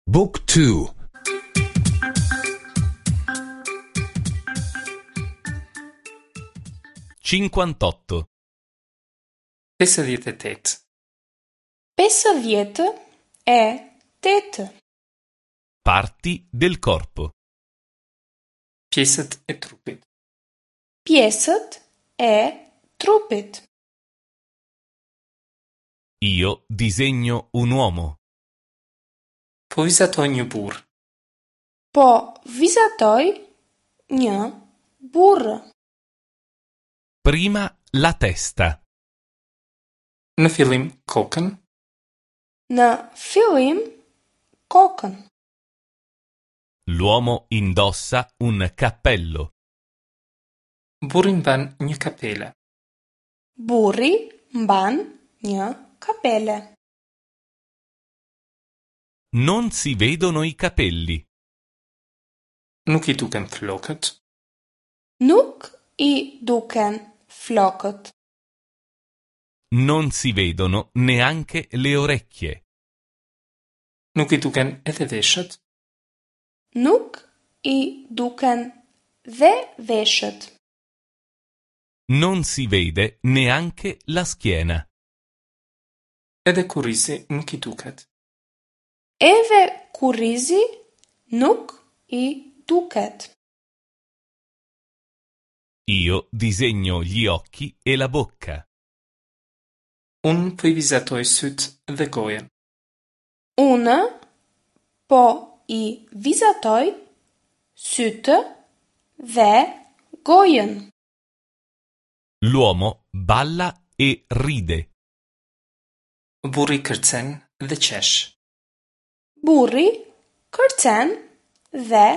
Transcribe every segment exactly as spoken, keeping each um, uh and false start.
Book two. Cinquantotto. Pesëdhjetë e tetë. Pesëdhjetë e tetë. Parti del corpo. Pjesët e trupit. Pjesët e trupit. Io disegno un uomo. Po vizatoj një burr. Po vizatoj një burr. Prima la testa. Në fillim kokën. Në fillim kokën. L'uomo indossa un cappello. Burri mban një kapele. Burri mban një kapele. Non si vedono i capelli. Nuk i duken flokët. Nuk i duken flokët. Non si vedono neanche le orecchie. Nuk i duken edhe veshët. Nuk i duken dhe veshët. Non si vede neanche la schiena. Edhe kurrizi nuk i duket. Edhe kurrizi nuk i duket. Io disegno gli occhi e la bocca. Unë po i vizatoj sytë dhe gojën. Unë po i vizatoj sytë dhe gojën. L'uomo balla e ride. Burri kërcen dhe qesh. Burri kërcen dhe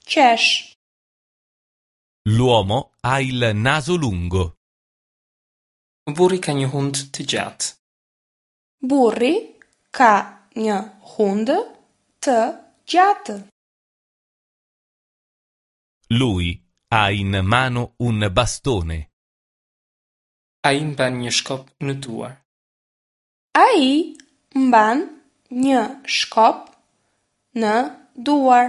qesh. L'uomo ha il naso lungo. Burri ka një hund të gjatë. Burri ka një hund të gjatë. Lui ha in mano un bastone. Ai mban një shkop në duar. Ai mban një shkop në duar.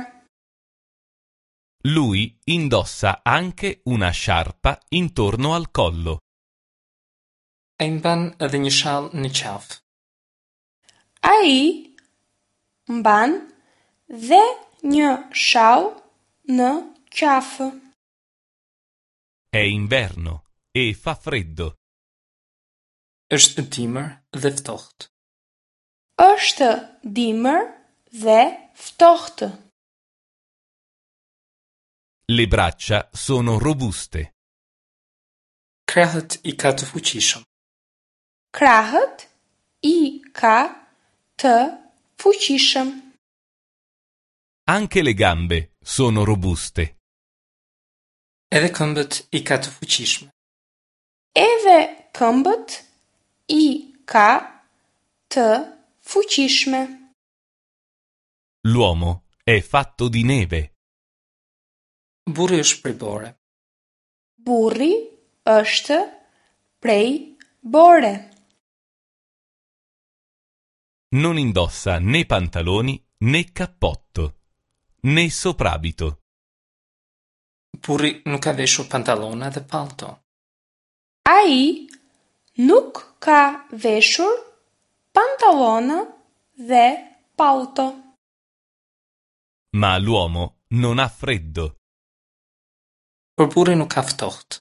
Lui indossa anche una sciarpa intorno al collo. Ai mban edhe një shall në qafë. Ai mban dhe një shall në qafë. È inverno e fa freddo. Është dimër dhe ftohtë. Është dimër dhe ftohtë. Le braccia sono robuste. Krahët i ka të fuqishëm. Krahët i ka të fuqishëm. Anche le gambe sono robuste. Edhe këmbët i ka të fuqishme. Edhe këmbët i ka të fuqishme. L'uomo è fatto di neve. Burri është prej bore. Burri është prej bore. Non indossa né pantaloni né cappotto, né soprabito. Burri nuk ka veshur pantallona dhe pallto. Ai nuk ka veshur pantallona dhe pallto. Ma l'uomo non ha freddo. Por burri nuk ka ftohtë.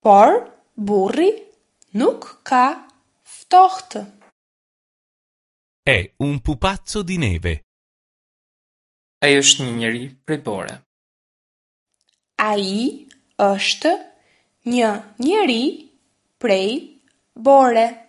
Por burri nuk ka ftohtë. È un pupazzo di neve. Ai është një njeri prej bore. Ai është një njeri prej bore.